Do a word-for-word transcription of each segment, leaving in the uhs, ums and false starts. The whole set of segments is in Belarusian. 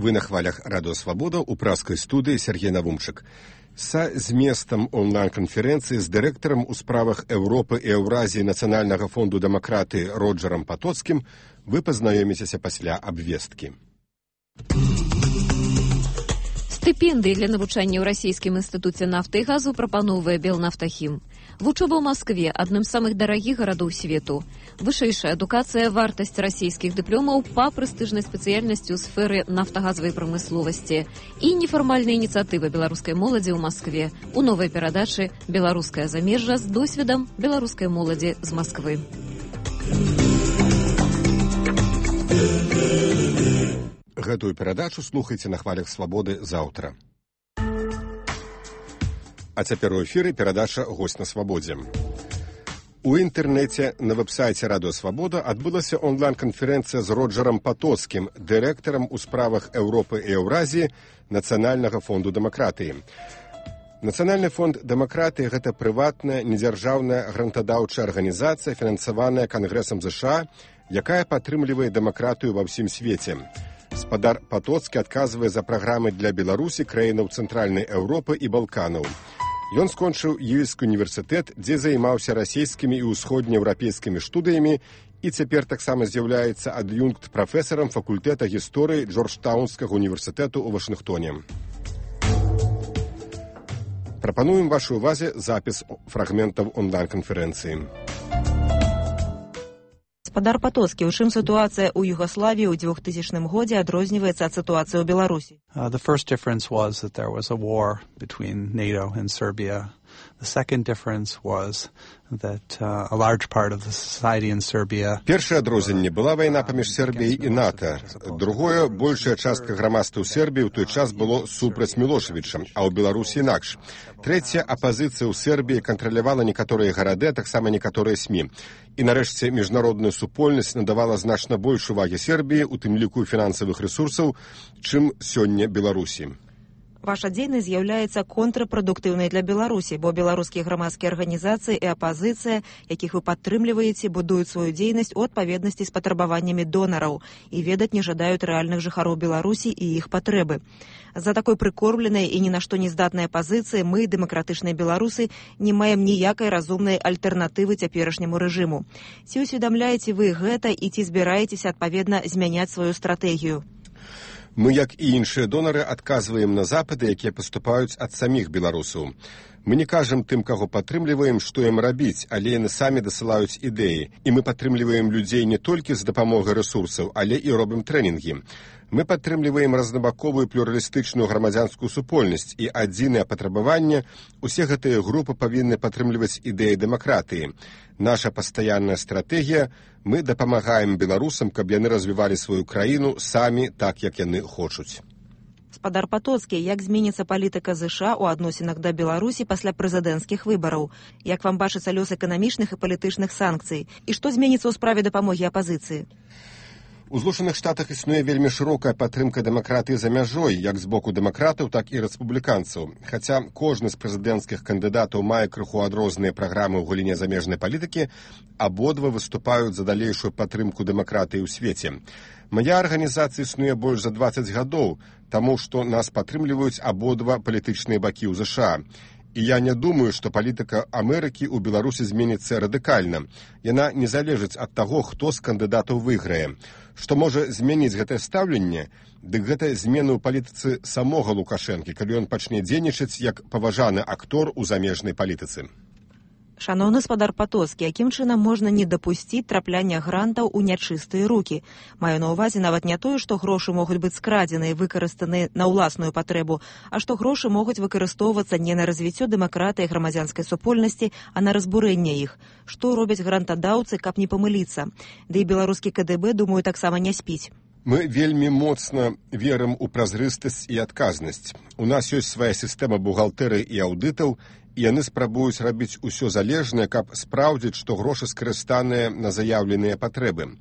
Вы на хвалях Радио Свобода у праскай студыі Сергей Навумчык. Са зместам онлайн-канферэнцыі з дырэктарам у справах Еўропы і Еўразіі Нацыянальнага фонду дэмакратыі Роджарам Патоцкім вы пазнаёміцеся пасля абвесткі. Стыпендыі для навучання ў расійскім інстытуце нафты і газу прапаноўвае Белнафтахім. Вучоба ў Маскве – адным з самых дарагіх гарадоў свету. Вышэйшая адукацыя, вартасць расійскіх дыпломаў па прэстыжнай спецыяльнасці ў сферы нафтагазавай прамысловасці і нефармальная ініцыятыва беларускай моладзі ў Маскве у новай перадачы «Беларускае замежжа» з досведам беларускай моладзі з Масквы. Гэтую перадачу слухайце на хвалях Свабоды заўтра. А цяпер у эфіры перадача «Госць на свабодзе». У інтэрнэце на вэб-сайце Радио Свабода адбылася онлайн-канферэнцыя з Роджарам Патоцкім, дырэктарам у справах Еўропы і Еўразіі Нацыянальнага фонду дэмакратыі. Нацыянальны фонд дэмакратыі – гэта прыватная, недзяржаўная грантадаўчая арганізацыя, фінансаваная Кангрэсам ЗША, якая падтрымлівае дэмакратыю ва ўсім свеце. Спадар Патоцкі адказвае за праграмы для Беларусі, краінаў Цэнтральнай Еўропы і Балканаў. Ён скончыў Ельскі універсітэт, дзе займаўся расійскімі і ўсходнееўрапейскімі студыямі і цяпер таксама з'яўляецца ад'юнкт-прафесарам факультэта гісторыі Джорджтаунскага універсітэту ў Вашынгтоне. Прапануем вашай увазе запіс фрагментаў онлайн-канферэнцыі. Спадар Патоцкі, у чым сітуацыя ў Югаславіі ў двухтысячным годзе адрозніваецца ад сітуацыі ў Беларусі? Uh, the first difference was that there was a war between NATO and Serbia. The second difference was that uh, a large part of the society in Serbia... Першае адрозненне была вайна паміж Сербіяй і НАТО. Другое, большая частка грамадства ў Сербіі ў той час было супраць Мілошевіча, а ў Беларусі інакш. Трэцяе, апазіцыя ў Сербіі кантралявала некаторыя гарады, а таксама некаторыя СМІ. І нарэшце міжнародная супольнасць надавала значна больш увагі Сербіі, у тым ліку фінансавых рэсурсаў, чым сёння Беларусі. Ваша дзейнасць з'яўляецца контрапрадуктыўнай для Беларусі, бо беларускія грамадскія арганізацыі і апазіцыя, якіх вы падтрымліваеце, будуюць сваю дзейнасць у адпаведнасці з патрабаваннямі донараў і ведаць не жадаюць рэальных жыхароў Беларусі і іх патрэбы. За такой прыкормленай і ні на што не здатнай пазіцыі мы, дэмакратычныя беларусы, не маем ніякай разумнай альтэрнатывы цяперашняму рэжыму. Ці усведамляеце вы гэта і ці збіраецеся адпаведна змяняць сваю стратэгію? Мы, як і іншыя донары, адказваем на запыты, якія паступаюць ад саміх беларусаў. Мы не кажам тым, каго падтрымліваем, што ім рабіць, але яны самі дасылаюць ідэі. І мы падтрымліваем людзей не толькі з дапамогай рэсурсаў, але і робім трэнінгі. Мы падтрымліваем разнабаковую плюралістычную грамадзянскую супольнасць, і адзінае патрабаванне – усе гэтыя групы павінны падтрымліваць ідэі дэмакратыі. Наша пастаянная стратэгія – мы дапамагаем беларусам, каб яны развівалі сваю краіну самі так, як яны хочуць. Спадар Патоцкі, як зменіцца палітыка ЗША ў адносінах да Беларусі пасля прэзідэнцкіх выбараў? Як вам бачыцца лёс эканамічных і палітычных санкцый? І што зменіцца ў справе дапамогі апазіцыі? У Злучаных Штатах існуе вельмі шырокая падтрымка дэмакратыі за мяжой, як з боку дэмакратаў, так і рэспубліканцаў. Хаця кожны з прэзідэнцкіх кандыдатаў мае крыху адрозныя праграмы ў галіне замежнай палітыкі, абодва выступаюць за далейшую падтрымку дэмакратыі ў свеце. Мая арганізацыя існуе больш за дваццаць гадоў, таму што нас падтрымліваюць абодва палітычныя бакі ў ЗША. І я не думаю, што палітыка Амерыкі ў Беларусі зменіцца радыкальна. Яна не залежыць ад таго, хто з кандыдатаў выйграе. Што можа змяніць гэтае стаўленне, дык гэта змены ў палітыцы самога Лукашэнкі, калі ён пачне дзейнічаць як паважаны актор у замежнай палітыцы. Шаноўны спадар Патоцкі, якім чынам можна не дапусціць трапляння грантаў у нячыстыя рукі? Маю на ўвазе нават не тое, што грошы могуць быць скрадзены і выкарыстаны на ўласную патрэбу, а што грошы могуць выкарыстоўвацца не на развіццё дэмакратыі і грамадзянскай супольнасці, а на разбурэнне іх. Што робяць грантадаўцы, каб не памыліцца? Ды і беларускі КДБ, думаю, таксама не спіць. Мы вельмі моцна верым у празрыстасць і адказнасць. У нас ёсць свая сістэма бухгалтэрыі і аўдытаў, і яны спрабуюць рабіць усё залежнае, каб спраўдзіць, што грошы скарыстаныя на заяўленыя патрэбы.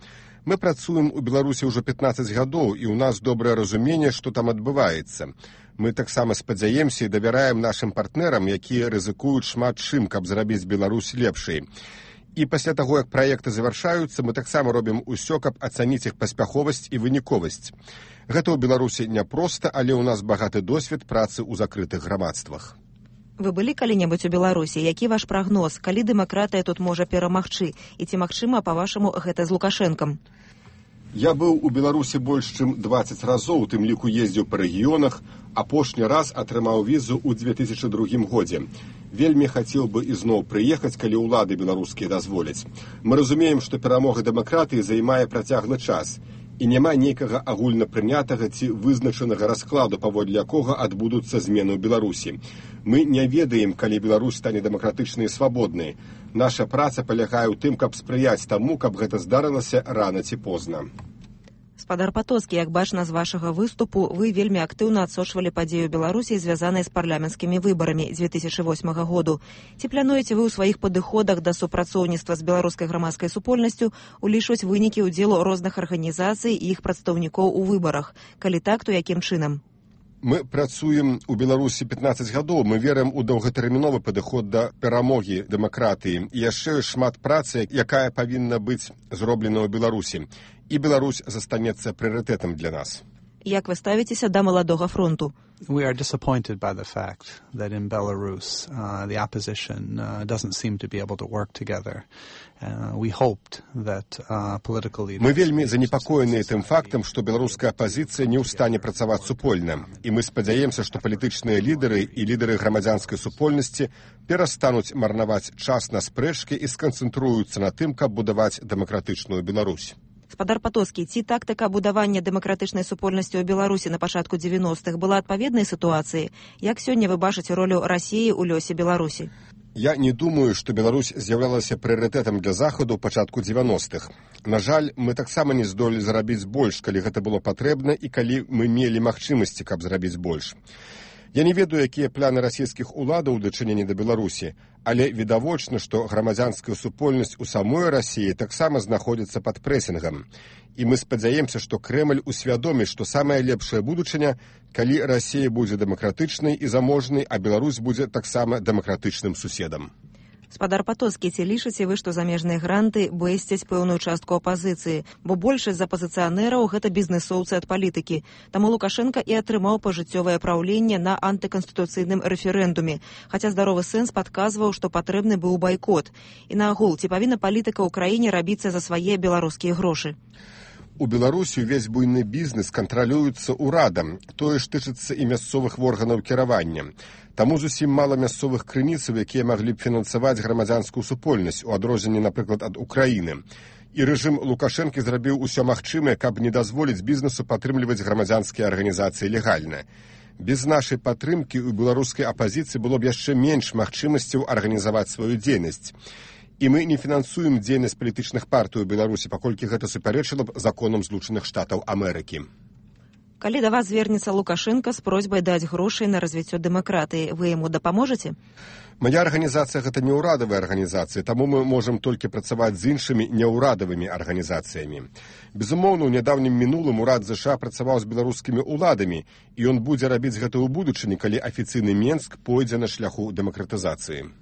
Мы працуем у Беларусі ўжо пятнаццаць гадоў, і ў нас добрае разуменне, што там адбываецца. Мы таксама спадзяемся і давяраем нашым партнерам, якія рызыкуюць шмат чым, каб зрабіць Беларусь лепшай. І пасля таго, як праекты завяршаюцца, мы таксама робім усё, каб ацаніць іх паспяховасць і выніковасць. Гэта ў Беларусі няпроста, але ў нас багаты досвед працы ў закрытых грамадствах. Вы былі калі-небудзь у Беларусі? Які ваш прагноз? Калі дэмакратыя тут можа перамагчы? І ці магчыма, па-вашаму, гэта з Лукашэнкам? Я быў у Беларусі больш чым дваццаць разоў, у тым ліку ездзіў па рэгіёнах, апошні раз атрымаў візу ў две тысячы другім годзе. Вельмі хацеў бы ізноў прыехаць, калі ўлады беларускія дазволяць. Мы разумеем, што перамога дэмакратыі займае працяглы час, і няма нейкага агульнапрынятага ці вызначанага раскладу, паводле якога адбудуцца змены ў Беларусі. Мы не ведаем, калі Беларусь стане дэмакратычнай і свабоднай. Наша праца палягае ў тым, каб спрыяць таму, каб гэта здарылася рана ці позна. Спадар Патоцкі, як бачна з вашага выступу, вы вельмі актыўна адсочвалі падзею Беларусі, звязанай з парламенцкімі выбарамі дзве тысячы восьмага году. Ці плануеце вы ў сваіх падыходах да супрацоўніцтва з беларускай грамадскай супольнасцю улічваць вынікі ўдзелу розных арганізацый і іх прадстаўнікоў у выбарах? Калі так, то якім чынам? Мы працуем у Беларусі пятнаццаць гадоў, мы верым у доўгатэрміновы падыход да перамогі дэмакратыі. І яшчэ шмат працы, якая павінна быць зроблена ў Беларусі. І Беларусь застанецца прыярытэтам для нас. Як вы ставіцеся да маладога фронту? We are disappointed by the fact that in Belarus uh, the opposition uh, doesn't seem to be able to work together. Uh, we hoped that uh, political leaders... Мы вельмі занепакоеныя тым фактам, што беларуская апазіцыя не ў стане працаваць супольна. І мы спадзяемся, што палітычныя лідары і лідары грамадзянскай супольнасці перастануць марнаваць час на спрэчкі і сканцэнтруюцца на тым, каб будаваць дэмакратычную Беларусь. Спадар Патоцкі, ці тактыка будавання дэмакратычнай супольнасці ў Беларусі на пачатку дзевяностых была адпаведнай сітуацыі? Як сёння вы бачыце ролю Расіі ў лёсе Беларусі? Я не думаю, што Беларусь з'яўлялася прыярытэтам для Захаду ў пачатку дзевяностых. На жаль, мы таксама не здолелі зрабіць больш, калі гэта было патрэбна і калі мы мелі магчымасці, каб зрабіць больш. Я не ведаю, якія пляны расійскіх уладаў у дачыненні да Беларусі, але відавочна, што грамадзянская супольнасць у самой Расіі таксама знаходзіцца пад прэсінгам. І мы спадзяемся, што Крэмль усвядоміць, што самая лепшая будучыня, калі Расія будзе дэмакратычнай і заможнай, а Беларусь будзе таксама дэмакратычным суседам. Спадар Патоцкі, ці лічыце вы, што замежныя гранты бэсцяць пэўную частку апазіцыі, бо большасць з апазіцыянераў гэта бізнэсоўцы ад палітыкі. Таму Лукашенка і атрымаў пажыццёвае праўленне на антыканстытуцыйным рэферэндуме, хаця здаровы сэнс падказваў, што патрэбны быў байкот. І наогул, ці павінна палітыка ў краіне рабіцца за свае беларускія грошы? У Беларусі ўвесь буйны бізнес кантралюецца ўрадам, тое ж тычыцца і мясцовых органаў кіравання. Таму зусім мала мясцовых крыніцаў, якія маглі б фінансаваць грамадзянскую супольнасць, у адрозненні, напрыклад, ад Украіны. І рэжым Лукашэнкі зрабіў усё магчымае, каб не дазволіць бізнесу падтрымліваць грамадзянскія арганізацыі легальна. Без нашай падтрымкі ў беларускай апазіцыі было б яшчэ менш магчымасцяў арганізаваць сваю дзейнасць. І мы не фінансуем дзейнасць палітычных партый у Беларусі, паколькі гэта супярэчыла б законам Злучаных Штатаў Амерыкі. Калі да вас звернецца Лукашенка з просьбай даць грошай на развіццё дэмакратыі, вы яму дапаможаце? Мая арганізацыя гэта не ўрадавая арганізацыя, таму мы можам толькі працаваць з іншымі няўрадавымі арганізацыямі. Безумоўна, у нядаўнім мінулым урад ЗША працаваў з беларускімі ўладамі, і ён будзе рабіць гэта ў будучыні, калі афіцыйны Менск пойдзе на шляху дэмакратызацыі.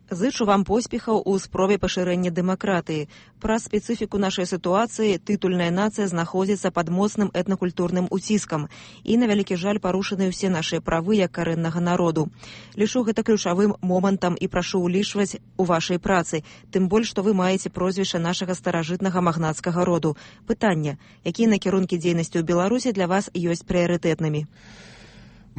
Зычу вам поспехаў у спробе пашырэння дэмакратыі. Праз спецыфіку нашай сітуацыі тытульная нацыя знаходзіцца пад моцным этнакультурным уціскам і, на вялікі жаль, парушаны ўсе нашыя правы як карэннага народу. Лічу гэта ключавым момантам і прашу ўлічваць у вашай працы, тым больш, што вы маеце прозвішча нашага старажытнага магнацкага роду. Пытанне: якія накірункі дзейнасці ў Беларусі для вас ёсць прыярытэтнымі?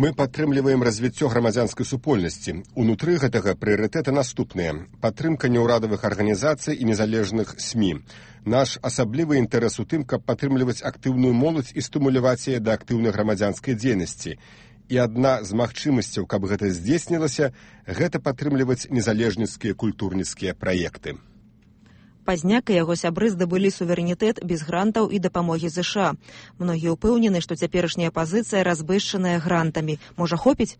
Мы падтрымліваем развіццё грамадзянскай супольнасці. Унутры гэтага прыярытэты наступныя: падтрымка няўрадавых арганізацый і незалежных СМІ. Наш асаблівы інтарэс у тым, каб падтрымліваць актыўную моладзь і стымуляваць яе да актыўнай грамадзянскай дзейнасці. І адна з магчымасцяў, каб гэта здзейснілася, гэта падтрымліваць незалежніцкія культурніцкія праекты. Пазняк і яго сябры здабылі суверэнітэт без грантаў і дапамогі ЗША. Многія ўпэўнены, што цяперашняя пазіцыя разбэшчаная грантамі. Можа, хопіць?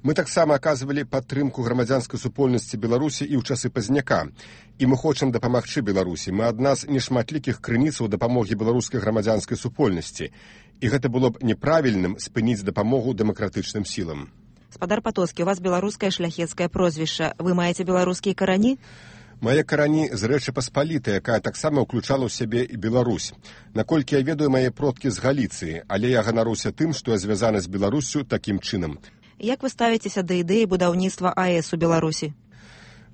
Мы таксама аказвалі падтрымку грамадзянскай супольнасці Беларусі і ў часы Пазняка. І мы хочам дапамагчы Беларусі. Мы адна з нешматлікіх крыніцаў дапамогі беларускай грамадзянскай супольнасці. І гэта было б неправільным спыніць дапамогу дэмакратычным сілам. Спадар Патоцкі, у вас беларускае шляхецкае прозвішча. Вы маеце беларускія карані? Мае карані з Рэчы Паспалітай, якая таксама ўключала ў сябе і Беларусь. Наколькі я ведаю, мае продкі з Галіцыі, але я ганаруся тым, што я звязаны з Беларуссю такім чынам. Як вы ставіцеся да ідэі будаўніцтва АЭС у Беларусі?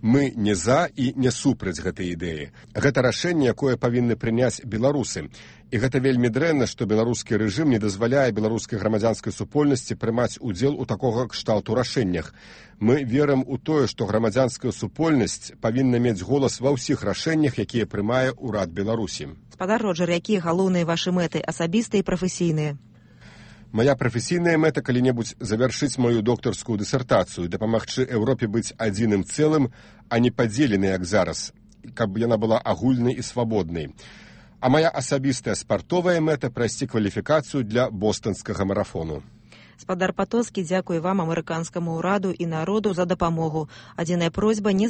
Мы не за і не супраць гэтай ідэі. Гэта рашэнне, якое павінны прыняць беларусы. І гэта вельмі дрэнна, што беларускі рэжым не дазваляе беларускай грамадзянскай супольнасці прымаць удзел у такога кшталту рашэннях. Мы верым у тое, што грамадзянская супольнасць павінна мець голас ва ўсіх рашэннях, якія прымае ўрад Беларусі. Гаспадар Роджар, якія галоўныя вашы мэты, асабістыя і прафесійныя? Мая прафесійная мэта калі-небудзь завяршыць маю доктарскую дысертацыю, дапамагчы Еўропе быць адзіным цэлым, а не падзеленай, як зараз, каб яна была агульнай і свабоднай. А мая асабістая спартовая мэта прайсці кваліфікацыю для бостанскага марафону. Гаспадар Патоцкі, дзякуй вам, амерыканскаму ўраду і народу за дапамогу. Адзіная просьба не